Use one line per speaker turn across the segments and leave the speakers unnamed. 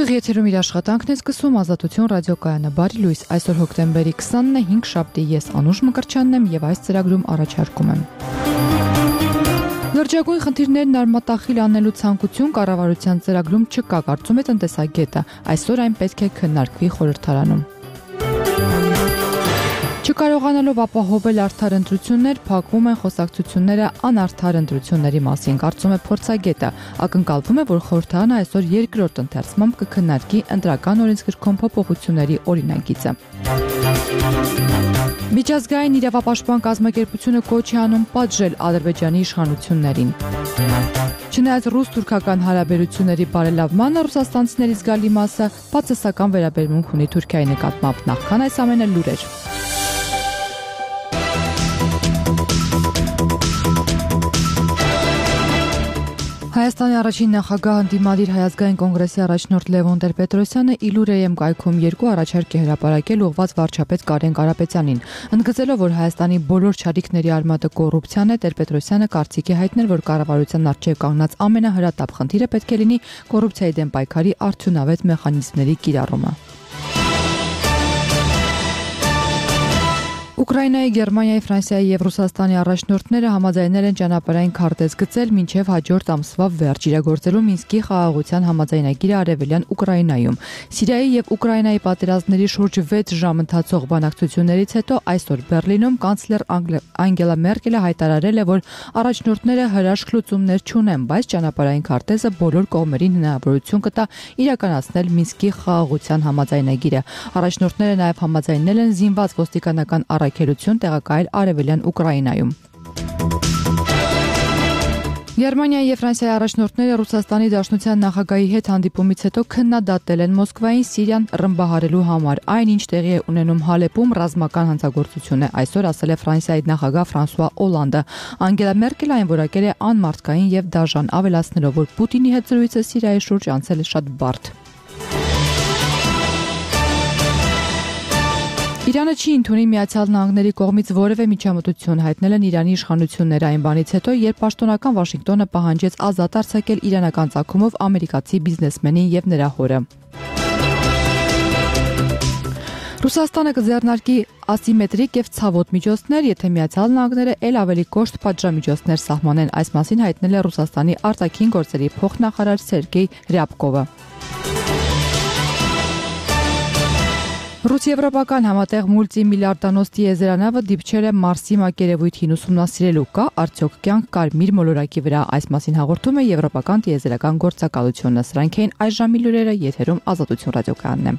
Ուղիղ եթերում իր աշխատանքն է սկսում Ազատություն ռադիոկայանը։ Բարի լույս, այսօր հոկտեմբերի 20-ն է, 5 շաբթի, ես Անուշ Մկրտչյանն եմ եւ այս ծրագրում առաջարկում եմ. Լրջագույն խնդիրներն արմատախիլ անելու ցանկություն կառավարության ծրագրում չկա, կարծում է տնտեսագետը։ Այսօր այն պետք է քննարկվի խորհրդարանում։ Չկարողանալով ապահովել արդար ընտրություններ, փակվում են խոսակցությունները անարդար ընտրությունների մասին, կարծում է փորձագետը։ Ակնկալվում է, որ խորհրդարանը այսօր երկրորդ ընթերցմամբ կքննարկի ընտրական օրենսգրքում փոփոխությունների օրինագիծը։ Միջազգային իրավապաշտպան կազմակերպությունը կոչ է անում պատժել Ադրբեջանի իշխանություններին։ Չնայած ռուս-թուրքական հարաբերությունների բարելավմանը, ռուսաստանցիների զգալի մասը բացասական վերաբերմունք ունի Թուրքիայի նկատմամբ, նախքան այս ամենը լուրեր։ Հայաստանի առաջին նախագահ ընդդիմադիր Հայազգային կոնգրեսի առաջնորդ Լևոն Տեր-Պետրոսյանը իլուրեյեմ կայքում երկու առաջարկ է հրապարակել ուղղված վարչապետ Կարեն Կարապետյանին։ Ընդգծելով, որ Հայաստանի բոլոր չարիքների արմատը կոռուպցիան է, Տեր-Պետրոսյանը կարծիք է հայտնել, որ կառավարության առջև կանգնած ամենահրատապ խնդիրը պետք է լինի կոռուպցիայի դեմ պայքարի արդյունավետ մեխանիզմների կիրառումը։ Ուկրաինայի, Գերմանիայի, Ֆրանսիայի եւ Ռուսաստանի առաջնորդները համաձայնել են ճանապարհային քարտեզ գծել մինչեւ հաջորդ ամսվա վերջ իրագործելու Մինսկի խաղաղության համաձայնագիրը արևելյան Ուկրաինայում։ Սիրիայի եւ Ուկրաինայի պատերազմների շուրջ 6 ժամ ընթացող բանակցություններից հետո այսօր Բեռլինում կանցլեր Անգելա Մերկելը հայտարարել է, որ առաջնորդները հրաշք լուծումներ չունեն, բայց ճանապարհային քարտեզը բոլոր կողմերին հնարավորություն կտա իրականացնել Մինսկի խաղաղության համաձայնագիրը։ Առաջնորդները նաեւ համաձայնել են զինված ոստիկանական առաքելություն տեղակայել արևելյան Ուկրաինայում։ Գերմանիայի եւ Ֆրանսիայի առաջնորդները Ռուսաստանի Դաշնության նախագահի հետ հանդիպումից հետո քննադատել են Մոսկվային Սիրիան ռմբահարելու համար, այնինչ տեղի է ունենում Հալեպում ռազմական հանցագործություն է, այսօր ասել է Ֆրանսիայի նախագահ Ֆրանսուଆ Օլանդը։ Անգելա Մերկելը այն որակել է անմարդկային եւ դաժան, ավելացնելով, որ Պուտինի հետ զրույցը Սիրիայի շուրջ անցել է շատ բարդ։ Իրանը չի ընդունի Միացյալ Նահանգների կողմից որևէ միջամտություն, հայտնել են Իրանի իշխանությունները այն բանից հետո, երբ պաշտոնական Վաշինգտոնը պահանջեց ազատ արձակել իրանական ծագումով ամերիկացի բիզնեսմենին եւ նրա հորը։ Ռուսաստանը կձեռնարկի ասիմետրիկ եւ ցավոտ միջոցներ, եթե Միացյալ Նահանգները ել ավելի կոշտ պատժամիջոցներ սահմանեն, այս մասին հայտնել է Ռուսաստանի արտաքին գործերի փոխնախարար Սերգեյ Ռյաբկովը։ Ռուս-եվրոպական համատեղ մուլտիմիլիարդանոց տիեզերանավը դիպչել է Մարսի մակերևույթին ուսումնասիրելու, կա արդյոք կյանք կարմիր մոլորակի վրա, այս մասին հաղորդում է Եվրոպական տիեզերական գործակալությունը։ Սրանք էին այս ժամի լուրերը, եթերում Ազատություն ռադիոկայանն է։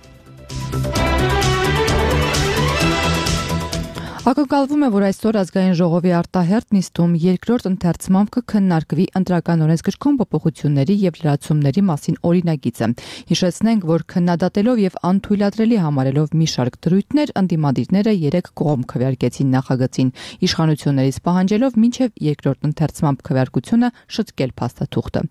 Ակնկալվում է, որ այսօր ազգային ժողովի արտահերթ նիստում երկրորդ ընթերցմամբ կքննարկվի ընտրական օրենսգրքում փոփոխությունների եւ լրացումների մասին օրինագիծը։ Հիշեցնենք, որ քննադատելով եւ անթույլատրելի համարելով մի շարք դրույթներ, ընդդիմադիրները 3 կողմ քվեարկեցին նախագծին, իշխանություններից պահանջելով մինչեւ երկրորդ ընթերցմամբ քվեարկությունը շտկել փաստաթուղթը։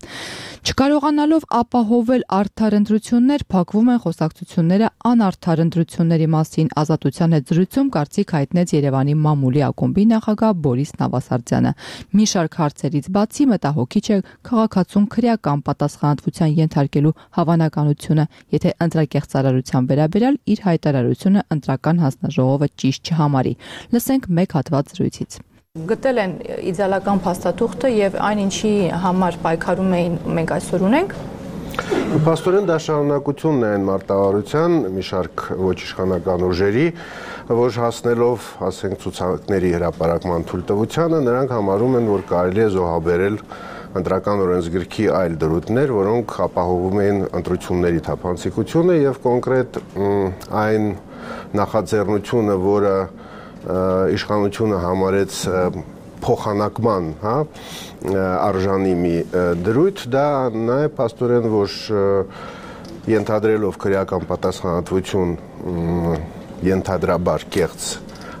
Չկարողանալով ապահովել արդար ընտրություններ, փակվում են խոսակցությունները անարդար ընտրությունների մասին, Ազատության հետ զրույցում կարծիք հայտնեց Երևանի մամուլի ակումբի նախագահ Բորիս Նավասարդյանը։ Մի շարք հարցերից բացի մտահոգիչ է քաղաքացուն քրեական պատասխանատվության ենթարկելու հավանականությունը, եթե ընտրակեղծարարության վերաբերյալ իր հայտարարությունը ընտրական հանձնաժողովը ճիշտ չհամարի։ Լսենք մեկ հատված զրույցից։ Գտել են իդեալական փաստաթուղթը եւ այն ինչի համար պայքարում էին մենք այսօր ունենք։
Փաստորեն դա շարունակությունն է այն մարտավարության մի շարք ոչ իշխանական ուժերի, որ հասնելով, ասենք, ցուցակների հրապարակման թույլտվությանը, նրանք համարում են, որ կարելի է զոհաբերել ընտրական օրենսգրքի այլ դրույթներ, որոնք ապահովում էին ընտրությունների թափանցիկությունը եւ կոնկրետ այն նախաձեռնությունը, որը իշխանությունը համարեց փոխանակման, արժանի մի դրույթ, դա նաև փաստորեն որ ենթադրելով քրեական պատասխանատվություն ենթադրաբար կեղծ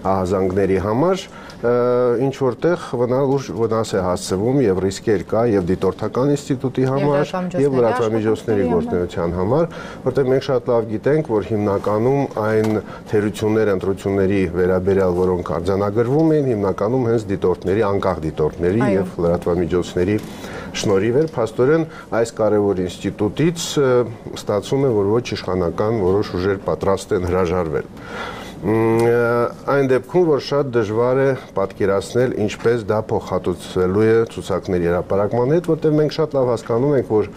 ահազանգների համար ինչ որտեղ վնաս է հասցվում եւ ռիսկեր կա եւ դիտորդական ինստիտուտի համար եւ լրատվամիջոցների գործունեության համար, որտեղ մենք շատ լավ գիտենք, որ հիմնականում այն թերությունները, ընտրությունների վերաբերյալ, որոնք արձանագրվում են, հիմնականում հենց դիտորդների, անկախ դիտորդների եւ լրատվամիջոցների շնորհիվ էր, փաստորեն այս կարևոր ինստիտուտից ստացվում է, որ ոչ իշխանական որոշ ուժեր պատրաստ են հրաժարվել։ Այն դեպքում, որ շատ դժվար է պատկերացնել, ինչպես դա փոխհատուցվելու է ցուցակների հրապարակման հետ, որտեղ մենք շատ լավ հասկանում ենք, որ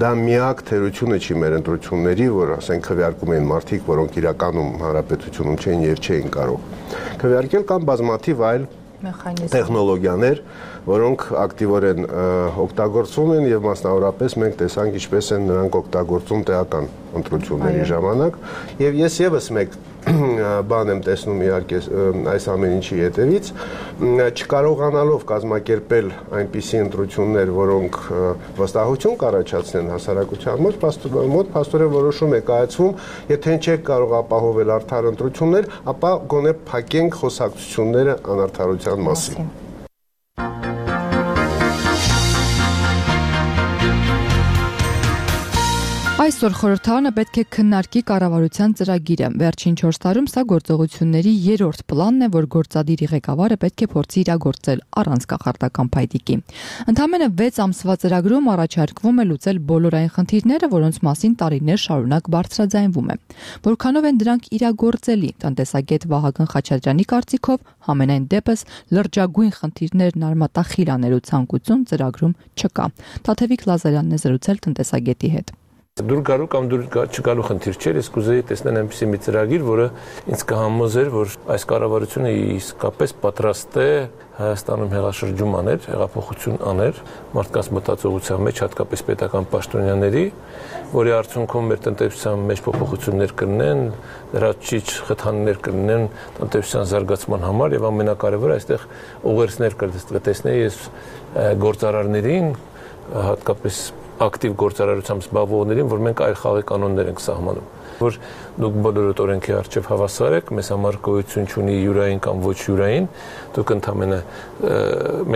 դա միակ թերությունը չի մեր ընտրությունների, որ ասենք քվեարկում են մարդիկ, որոնք իրականում հանրապետությունում չէին եւ չէին կարող քվեարկել, կամ բազմաթիվ այլ տեխնոլոգիաներ, որոնք ակտիվորեն օգտագործվում են եւ մասնավորապես մենք տեսանք ինչպես են նրանք օգտագործում տեղական ընտրությունների ժամանակ եւ ես եւս մեկ բան եմ տեսնում իհարկե այս ամեն ինչի հետևից չկարողանալով կազմակերպել այնպիսի ընտրություններ, որոնք վստահություն կառաջացնեն հասարակության մոտ փաստորեն որոշում է կայացվում, եթե չեք կարող ապահովել արդար ընտրություններ, ապա գոնե փակենք խոսակցությունները անարդարության մասին։
Այսօր խորհրդարանը պետք է քննարկի կառավարության ծրագիրը։ Վերջին 4 տարում սա գործողությունների երրորդ պլանն է, որ գործադիրի ղեկավարը պետք է փորձի իրագործել առանց կախարդական փայտիկի։ Ընդամենը 6 ամսվա ծրագրում առաջարկվում է լուծել բոլոր այն խնդիրները, որոնց մասին տարիներ շարունակ բարձրաձայնվում է։ Որքանով են դրանք իրագործելի, տնտեսագետ Վահագն Խաչատրյանի կարծիքով համենայն դեպս լրջագույն խնդիրներն արմատախիլ անելու ցանկություն ծրագրում չկա։ Թաթևիկ Լազարյանն է զրուցել տնտեսագետի հետ։
Դուր գալու կամ դուր չգալու խնդիր չէր, ես կուզեի տեսնել այնպիսի մի ծրագիր, որը ինձ կհամոզեր, որ այս կառավարությունը իսկապես պատրաստ է Հայաստանում հեղաշրջում աներ, հեղափոխություն աներ, մարդկանց մտածողության մեջ, հատկապես պետական պաշտոնյաների, որի արդյունքում մեր տնտեսության մեջ փոփոխություններ կլինեն, լրացուցիչ խթաններ կլինեն տնտեսության զարգացման համար եւ ամենակարևորը այստեղ ուղերձներ կտեսնեի ես գործարարներին, հատկապես ակտիվ գործարարությամբ զբաղվողներին, որ մենք այլ խաղի կանոններ ենք սահմանում, որ դուք բոլորդ օրենքի առջև հավասար եք, մեզ համար գոյություն չունի յուրային կամ ոչ յուրային, դուք ընդամենը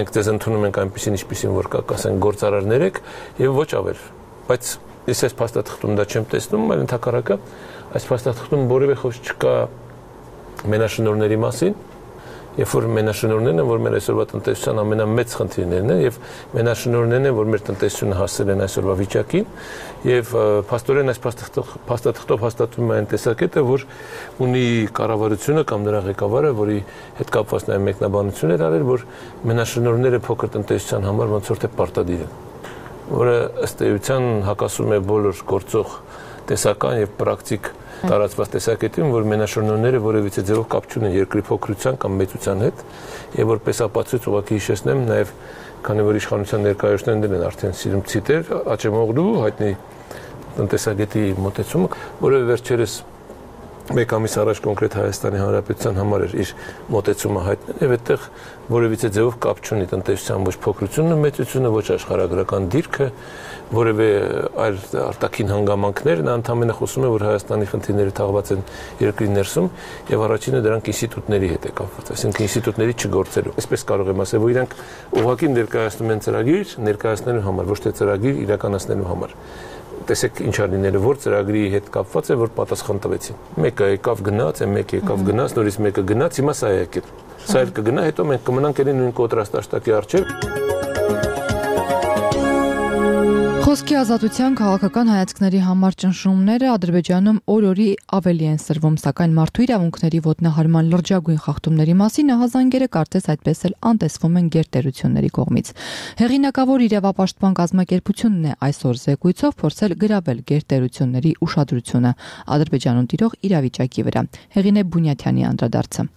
մենք ձեզ ընդունում ենք այնպիսին, ինչպիսին որ կա, ասենք գործարարներ եք եւ ոչ ավել, բայց ես այս փաստաթղթում դա չեմ տեսնում, այլ ընդհակառակը այս փաստաթղթում որևէ խոսք չկա մենաշնորհների մասին, երբ որ մենաշնորհներն են, որ մեր այսօրվա տնտեսության ամենամեծ խնդիրներն են եւ մենաշնորհներն են, որ մեր տնտեսությունը հասել են այսօրվա վիճակին եւ փաստորեն այս փաստաթղթով հաստատվում է այն տեսակետը, որ ունի կառավարությունը կամ նրա ղեկավարը, որի հետ կապված նաեւ մեկնաբանություն էր արել, որ մենաշնորհները փոքր տնտեսության համար ոնց որ թե պարտադիր են, որը ըստ էության հակասում է բոլոր գործող տեսական եւ պրակտիկ տարածված տեսակետին, որ մենաշնորհները որևիցե ձևով կապ չունեն երկրի փոքրության կամ մեծության հետ, եւ որպես ապացույց ուղղակի հիշեցնեմ նաեւ, քանի որ իշխանության ներկայացուցիչներն են արդեն սիրում ցիտեր Աչեմօղլու հայտնի տնտեսագետի մոտեցումը, որը վերջերս մեկ ամիս առաջ կոնկրետ Հայաստանի Հանրապետության համար էր իր մոտեցումը հայտնել եւ այդտեղ որևիցե ձևով կապ չունի տնտեսության ոչ փոքրությունը, մեծությունը, ոչ աշխարհագրական դիրքը, որևէ այլ արտաքին հանգամանքներ, նա ընդհանրապես խոսում է, որ Հայաստանի խնդիրները թաղված են երկրի ներսում եւ առաջինը դրանք ինստիտուտների հետ է կապված, այսինքն ինստիտուտների չգործելու։ Այսպես կարող եմ ասել, որ իրանք ուղղակի ներկայացնում են ծրագիր ներկայացնելու համար, ոչ թե ծրագիր իրականացնելու համար։ Տեսեք ինչ արինները, որ ծրագրի հետ կապված է, որ պատասխան տվեցին։ Մեկը եկավ գնաց, մեկը եկավ գնաց, նորից մեկը գնաց, հիմա սա է եկել։ Սա էլ կգնա, հետո մենք կմնանք ելի նույն կոնտրաստաշտակի առջև։
Խոսքի ազատության քաղաքական հայացքների համար ճնշումները Ադրբեջանում օր-օրի ավելի են սրվում, սակայն մարդու իրավունքների ոտնահարման լրջագույն խախտումների մասին ահազանգերը կարծես այդպես էլ անտեսվում են գերտերությունների կողմից։ Հեղինակավոր իրավապաշտպան կազմակերպությունն է այսօր զեկույցով փորձել գրավել գերտերությունների ուշադրությունը Ադրբեջանում տիրող իրավիճակի վրա։ Հեղինե Բունյաթյանի անդրադարձը։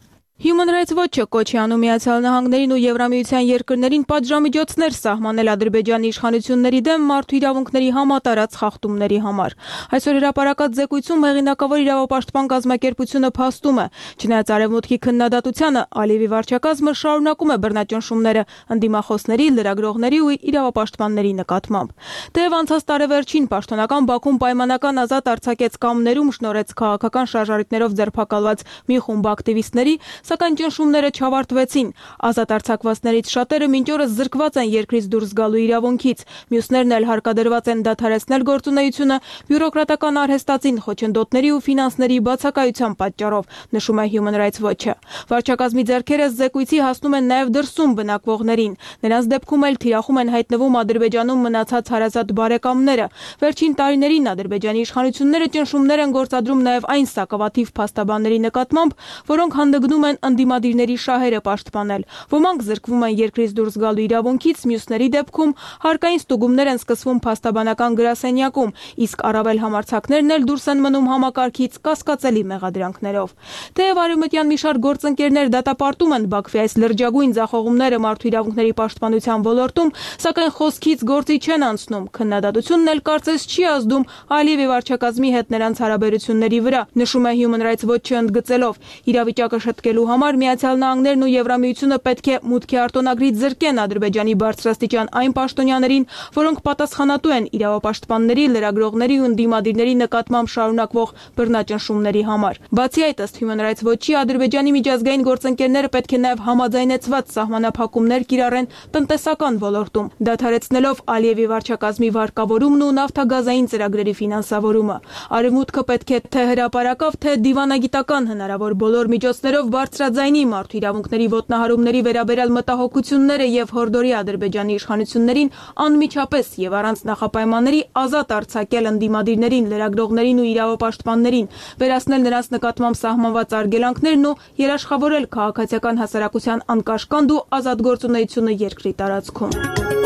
Human Rights Watch-ը կոչ է անում Միացյալ Նահանգներին ու Եվրամիության երկրներին պատժամիջոցներ սահմանել Ադրբեջանի իշխանությունների դեմ մարդու իրավունքների համատարած խախտումների համար։ Այսօր հրապարակած զեկույցում հեղինակավոր իրավապաշտպան կազմակերպությունը փաստում է, չնայած արևմուտքի քննադատությանը, Ալիևի վարչակազմը շարունակում է բռնաճնշումները ընդդիմախոսների, լրագրողների ու իրավապաշտպանների նկատմամբ։ Թեև անցած տարեվերջին պաշտոնական Բաքուն պայմանական ազատ արձակեց կամ ներում շնորհեց քաղաքական շարժարիքներով ձերբակալված մի խումբ ակտիվիստների, սակայն ճնշումները չավարտվեցին։ Ազատ արձակվածներից շատերը մինչ օրս զրկված են երկրից դուրս գալու իրավունքից, մյուսներն էլ հարկադրված են դադարեցնել գործունեությունը բյուրոկրատական արհեստածին խոչընդոտների ու ֆինանսների բացակայության պատճառով, նշում է Human Rights Watch-ը։ Վարչակազմի ձեռքերը զեկույցի հասնում են նաև դրսում բնակվողներին։ Նրանց դեպքում էլ թիրախում են հայտնվում Ադրբեջանում մնացած հարազատ բարեկամները։ Վերջին տարիներին Ադրբեջանի իշխանությունները ճնշումներ են գործադրում նաև այն սակավաթիվ փաստաբանների նկատմամբ, որոնք հանդգնում են ընդդիմադիրների շահերը պաշտպանել։ Ոմանք զրկվում են երկրից դուրս գալու իրավունքից, մյուսների դեպքում հարկային ստուգումներ են սկսվում փաստաբանական գրասենյակում, իսկ առավել համարձակներն էլ դուրս են մնում համակարգից կասկածելի մեղադրանքներով։ Թեև արևմտյան մի շարք գործընկերներ դատապարտում են Բաքվի այս լրջագույն ձախողումները մարդու իրավունքների պաշտպանության ոլորտում, սակայն խոսքից գործի չեն անցնում։ Քննադատությունն էլ կարծես չի ազդում Ալիևի վարչակազմի հետ նրանց հարաբերությունների վրա, նշում է Human Rights Watch-ը ընդգծելով. իրավիճակը շտկելու համար Միացյալ Նահանգներն ու Եվրամիությունը պետք է մուտքի արտոնագրից զրկեն Ադրբեջանի բարձրաստիճան այն պաշտոնյաներին, որոնք պատասխանատու են իրավապաշտպանների, լրագրողների ու ընդդիմադիրների նկատմամբ շարունակվող բռնաճնշումների համար։ Բացի այդ, ըստ Human Rights Watch-ի, Ադրբեջանի միջազգային գործընկերները պետք է նաև համաձայնեցված սահմանափակումներ կիրառեն տնտեսական ոլորտում, դադարեցնելով Ալիևի վարչակազմի վարկավորումն ու նավթագազային ծրագրերի ֆինանսավորումը։ Արևմուտքը պետք է թե հրապարակավ, թե դիվանագիտական հնարավոր բոլոր միջոցներով բարձրաձայնի մարդու իրավունքների ոտնահարումների վերաբերյալ մտահոգությունները եւ հորդորի Ադրբեջանի իշխանություններին անմիջապես եւ առանց նախապայմանների ազատ արձակել ընդդիմադիրներին, լրագրողներին ու իրավապաշտպաններին, վերացնել նրանց նկատմամբ սահմանված արգելանքներն ու երաշխավորել քաղաքացիական հասարակության անկաշկանդ ու ազատ գործունեությունը երկրի տարածքում։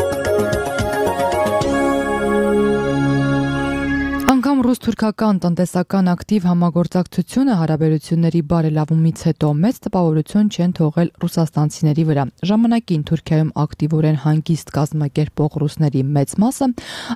Անգամ ռուս-թուրքական տնտեսական ակտիվ համագործակցությունը հարաբերությունների բարելավումից հետո մեծ տպավորություն չեն թողել ռուսաստանցիների վրա։ Ժամանակին Թուրքիայում ակտիվորեն հանգիստ կազմակերպող ռուսների մեծ մասը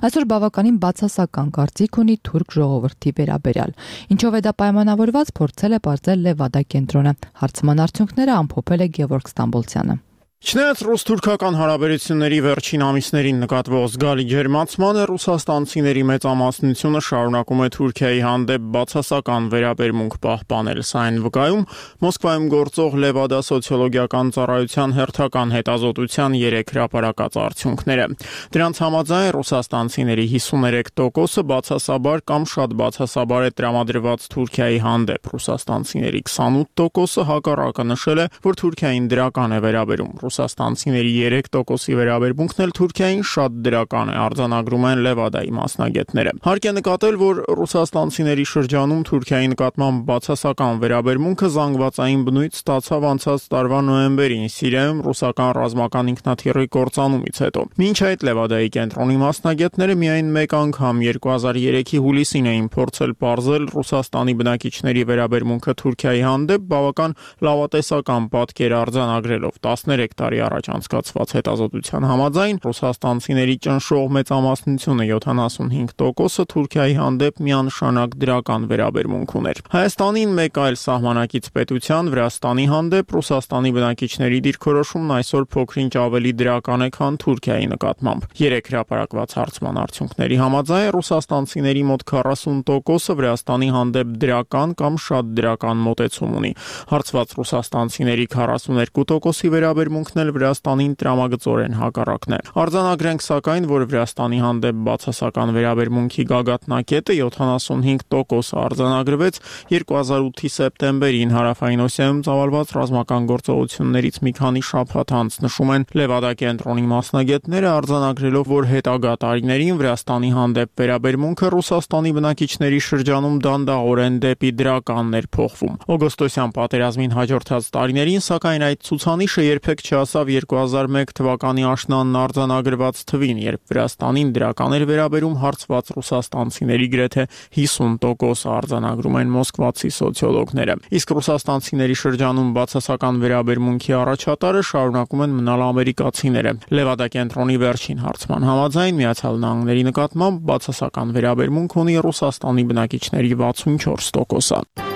այսօր բավականին բացասական կարծիք ունի թուրք ժողովրդի վերաբերյալ։ Ինչով է դա պայմանավորված, փորձել է պարզել Լևադա կենտրոնը։ Հարցման արդյունքները ամփոփել է Գևորգ Ստամբոլցյանը։
Չնայած ռուս-թուրքական հարաբերությունների վերջին ամիսներին նկատվող զգալի ջերմացմանը, ռուսաստանցիների մեծամասնությունը շարունակում է Թուրքիայի հանդեպ բացասական վերաբերմունք պահպանել։ Սա այն վկայում Մոսկվայում գործող Լևադա սոցիոլոգիական ծառայության հերթական հետազոտության 3 հրապարակած արդյունքները։ Դրանց համաձայն ռուսաստանցիների 53%-ը բացասաբար կամ շատ բացասաբար է տրամադրված Թուրքիայի հանդեպ։ Ռուսաստանցիների 28%-ը հակառակը նշել է, որ Թուրքիային դրական է վերաբերում։ Ռուսաստանցիների 3%-ի վերաբերմունքն էլ Թուրքիային շատ դրական է, արձանագրում են Լևադայի մասնագետները։ Հարկ է նկատել, որ ռուսաստանցիների շրջանում Թուրքիայի նկատմամբ բացասական վերաբերմունքը զանգվածային բնույթ ստացավ անցած տարվա նոյեմբերին Սիրիայում ռուսական ռազմական ինքնաթիռի կործանումից հետո։ Մինչ այդ Լևադայի կենտրոնի մասնագետները միայն մեկ անգամ 2003-ի հուլիսին էին փորձել պարզել Ռուսաստանի բնակիչների վերաբերմունքը Թուրքիայի հանդեպ բավական լավատեսական պատկեր արձանագրելով 13 տարի առաջ անցկացված հետազոտության համաձայն ռուսաստանցիների ճնշող մեծամասնությունը 75%-ը Թուրքիայի հանդեպ միանշանակ դրական վերաբերմունք ուներ։ Հայաստանին մեկ այլ սահմանակից պետության Վրաստանի հանդեպ Ռուսաստանի բնակիչների դիրքորոշումն այսօր փոքրինչ ավելի դրական է, քան Թուրքիայի նկատմամբ։ 3 հրապարակված հարցման արդյունքների համաձայն ռուսաստանցիների մոտ 40%-ը Վրաստանի հանդեպ դրական կամ շատ դրական մոտեցում ունի։ Հարցված ռուսաստանցիների 42%-ի վերաբերմունքն էլ Վրաստանին տրամագծորեն հակառակն է։ Արձանագրենք սակայն, որ Վրաստանի հանդեպ բացասական վերաբերմունքի գագաթնակետը 75% արձանագրվեց 2008-ի սեպտեմբերին Հարավային Օսիայում ծավալված ռազմական գործողություններից մի քանի շաբաթ անց, նշում են Լևադա կենտրոնի մասնագետները, արձանագրելով, որ հետագա տարիներին Վրաստանի հանդեպ վերաբերմունքը Ռուսաստանի բնակիչների շրջանում դանդաղորեն դեպի դրականն էր փոխվում։ Օգոստոսյան պատերազմին հաջորդած տարիներին, սակայն այդ ցուցանիշը երբեք չհասավ 2001 թվականի աշնանն արձանագրված թվին, երբ Վրաստանին դրական էր վերաբերում հարցված ռուսաստանցիների գրեթե 50% արձանագրում են մոսկվացի սոցիոլոգները։ Իսկ ռուսաստանցիների շրջանում բացասական վերաբերմունքի առաջատարը շարունակում են մնալ ամերիկացիները։ Լևադա կենտրոնի վերջին հարցման համաձայն Միացյալ Նահանգների նկատմամբ բացասական վերաբերմունք ունի Ռուսաստանի բնակիչների 64%-ը։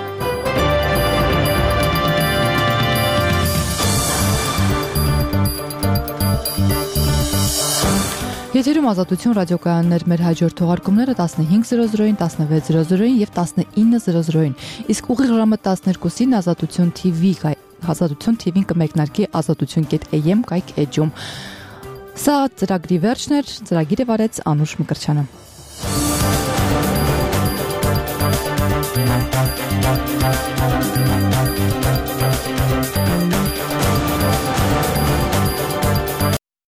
Եթերում Ազատություն ռադիոկայաններ, մեր հաջորդ թողարկումները 15:00-ին, 16:00-ին եւ 19:00-ին, իսկ ուղիղ ժամը 12-ին Ազատություն TV Ազատություն TV-ին կմեկնարկի azatutyon.am կայք էջում։ Սա ծրագրի վերջն էր, ծրագիրը վարեց Անուշ Մկրտչյանը։